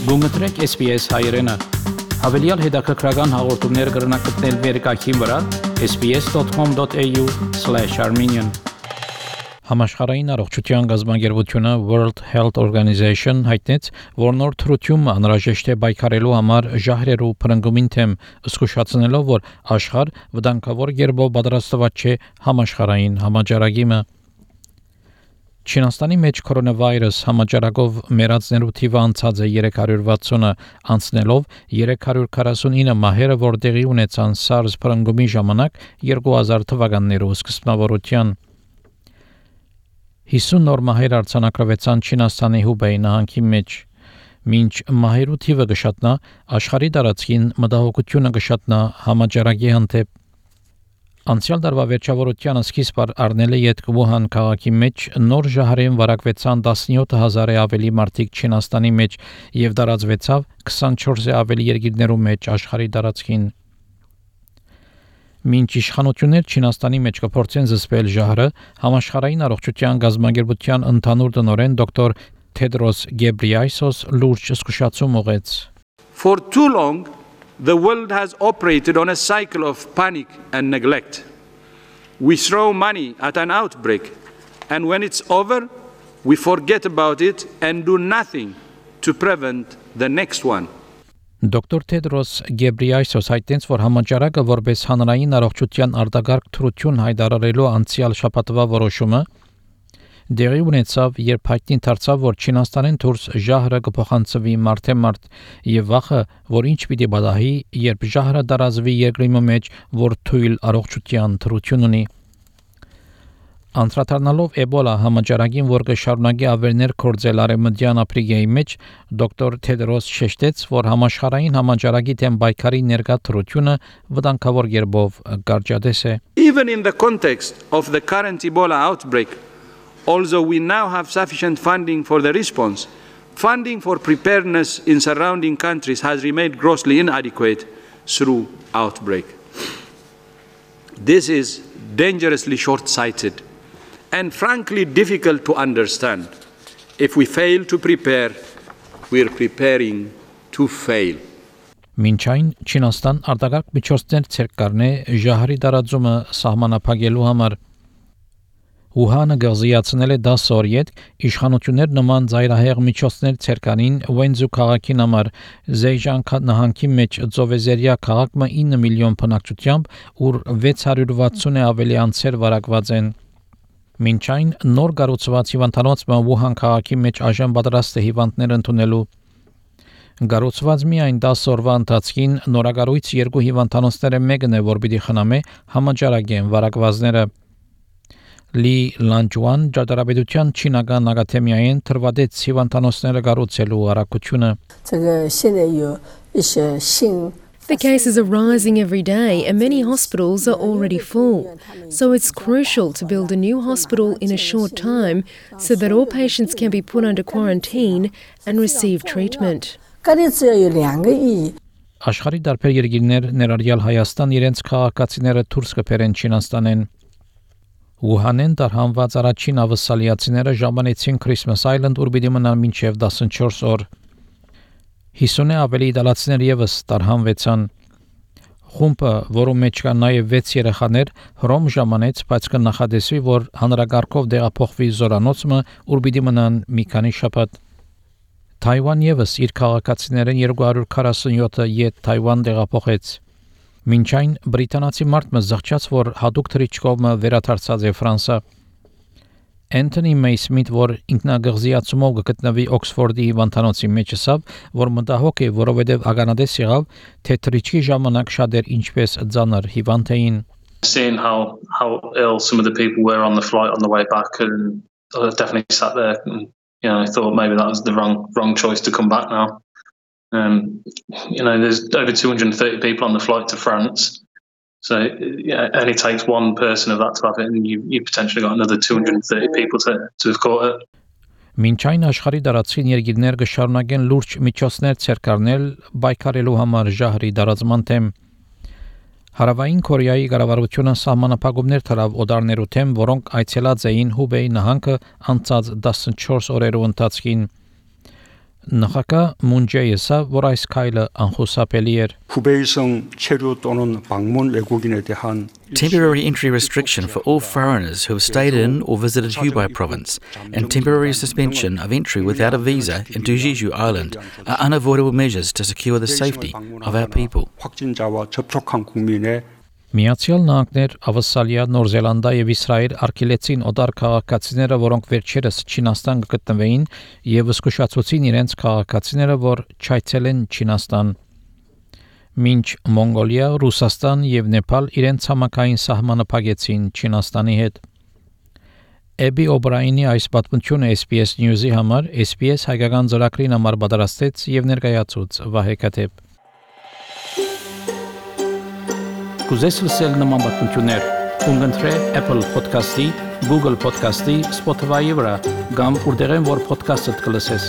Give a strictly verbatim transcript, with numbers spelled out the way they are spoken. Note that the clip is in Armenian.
Գումտրեք S B S հայերեն։ Հավելյալ հետաքրքրական հաղորդումներ կգրնակցնել վերկայքին վրա s b s dot com dot a u slash armenian Համաշխարհային առողջության գազագերբությունը World Health Organization հայտնեց, որ նոր թռությունը անհրաժեշտ է պայքարելու համար ժահրերու փրկումին թեմ, զսկուշացնելով, որ աշխարհ վտանգավոր գերբով պատրաստված չէ համաշխարհային համաճարակիմը։ Չինաստանի մեջ կորոնավիրուս համաճարակով մեռածներու թիվը անցած է երեք հարյուր վաթսունը, անցնելով երեք հարյուր քառասունինը մահերը, որ տեղի ունեցան SARS փրկումի ժամանակ երկու հազար թվականներու սկզբնավորության։ հիսուն նոր մահեր արձանագրվեցան Չինաստանի Հուբեյ նահանգի մեջ։ Մինչ մահերու թիվը կշատնա, աշխարհի տարածքին մտահոգությունը կշատնա համաճարակի հանդեպ։ Անցյալ տարվա վերջավորությանը սկիզբ առնել է յետ Վուհան քաղաքի մեջ նոր ժահրեն վարակվեցան տասնյոթ հազարը ավելի մարդիկ Չինաստանի մեջ եւ տարածվեցավ քսանչորսը ավելի երկրներու մեջ աշխարհի տարածքին։ Մինչ իշխանություններ Չինաստանի մեջ կփորձեն զսպել ժահրը, համաշխարհային առողջության գազագերբության ընդհանուր տնօրեն դոկտոր Tedros Ghebreyesus լուրջ զսկուշացում ուղեց։ For too long the world has operated on a cycle of panic and neglect. We throw money at an outbreak, and when it's over, we forget about it and do nothing to prevent the next one. Դոկտոր Tedros Ghebreyesus հայտնեց, որ համաճարակը որպես հանրային առողջության արտագաղթ թռություն հայտարարելու անցյալ շաբաթվա որոշումը դեղի ունեցավ, երբ հայտնի դարձավ, որ Չինաստանեն դուրս ժահրը կփոխանցվի մարդեմարդ եւ վախը, որ ինչ պիտի բադահի, երբ ժահրը տարածվի երկրի մեջ, որ թույլ առողջության թռություն ունի։ Անդրադառնալով Էբոլա համաճարակին, որ կշարունակի ավերներ կորձել արևմտյան Աֆրիկայի մեջ, դոկտոր Թեդրոս շեշտեց, որ համաշխարհային համաճարակի դեմ պայքարի ներկա թռությունը վտանգավոր գերբով կարճատես է։ Even in the context of the current Ebola outbreak, although we now have sufficient funding for the response, funding for preparedness in surrounding countries has remained grossly inadequate through outbreak. This is dangerously short-sighted and frankly difficult to understand. If we fail to prepare, we are preparing to fail. Մինչ այն Չինաստան արտակարգ միջոցներ ցերկ կառնե ժահրի տարածումը սահմանափակելու համար։ Ուհանը գազիացնել է դաս օր յետ իշխանություններ նման ծայրահեղ միջոցներ ցերկանին Վենզու քաղաքին համար Զեյժան նահանգի մեջ ծովեզերիա քաղաքը ինը միլիոն բնակչությամբ, ուր վեց հարյուր վաթսուն ավելի անձեր վարակված են։ Մինչ այն նոր կառուցված հիվանդանոցը Ուհան քաղաքի մեջ այժմ պատրաստ է հիվանդներ ընդունելու։ Կառուցված միայն դաս օրվա ընթացքին նորագարույց երկու հիվանդանոցները մեկն է, որ պիտի խնամե համաճարակեն վարակվածները։ Լի Լանջուան ճարտարապետության չինական ակադեմիային թրվադեց հիվանդանոցները կառուցելու առաքությունը։ The cases are rising every day and many hospitals are already full. So it's crucial to build a new hospital in a short time so that all patients can be put under quarantine and receive treatment. Աշխարհի դարբեր երկրներ ներառյալ Հայաստան իրենց քաղաքացիները դուրս կբերեն Չինաստանեն։ Ուհանեն տարհանված առաջին ավսալիացիները ժամանեցին Christmas Island, ուր պիտի մնան մինչև տասնչորս օր։ հիսունը ավելի իտալացիներ եւս տարհանվեցան։ Խումբը, որում մեջ կան նաև վեց երեխաներ, Հռոմ ժամանեց, բայց կնախադեсվի, որ հանրագարքով դեղափոխվի զորանոցը, ուր պիտի մնան մի քանի շաբաթ։ Թայվան եւս իր քաղաքացիներին երկու հարյուր քառասունյոթը յետ Թայվան դեղափոխեց։ Մինչ այն բրիտանացի մարդը զղջաց, որ հadoop թրիչկովը վերադարձած է Ֆրանսա։ Anthony Maysmith, որ ինքնագղզիացումով գտնվի Օքսֆորդի հիվանդանոցի մեջ ասավ, որ մտահոգ է, որովհետև ականադես եղավ, թե թրիչքի ժամանակ շատեր ինչպես ծանր հիվանդ էին։ Seeing how how ill some of the people were on the flight on the way back, and I definitely sat there and you know I thought maybe that was the wrong wrong choice to come back now. Um, you know, there's over two hundred thirty people on the flight to France. So yeah, it only takes one person of that to have it, and you you potentially got another two hundred thirty people to to have caught it. Մինչ այն աշխարհի դարածին երկիրներ կշարունակեն լուրջ միջոցներ ցերկարնել պայքարելու համար ժահրի դարածման թեմ։ Հարավային Կորեայի կառավարությունը սահմանափակումներ թրավ օդարներու թեմ, որոնք այցելած էին Հուբեյ նահանգը անցած տասնչորս օրերու ընթացքին։ Նախագահ Մուն Ջեյսը, որ այս քայլը անխուսափելի էր, 후베이성 체류 또는 방문 외국인에 대한 Temporary entry restriction for all foreigners who have stayed in or visited Hubei province and temporary suspension of entry without a visa into Jeju Island are unavoidable measures to secure the safety of our people. 확진자와 접촉한 국민의 Միացյալ Նահանգներ, Ավստրալիա, Նոր Զելանդա եւ Իսրայել արգելեցին օտար քաղաքացիները, որոնք վերջերս Չինաստան գտնվեին, եւ զսկուշացուցին իրենց քաղաքացիները, որ չայցելեն Չինաստան։ Մինչ Մոնգոլիա, Ռուսաստան եւ Նեպալ իրենց համակային սահմանը փակեցին Չինաստանի հետ։ Էբի Օբրայինի այս պատմությունը S B S News-ի համար S B S հայկական ծրագրին համար պատրաստեց եւ ներկայացուց Վահե Կաթեփ։ Կուզես լսել նման պատմություններ, կընտրե Apple Podcast-ի, Google Podcast-ի, Spotify-ի վրա, կամ որտեղեն որ podcast-ը կլսես։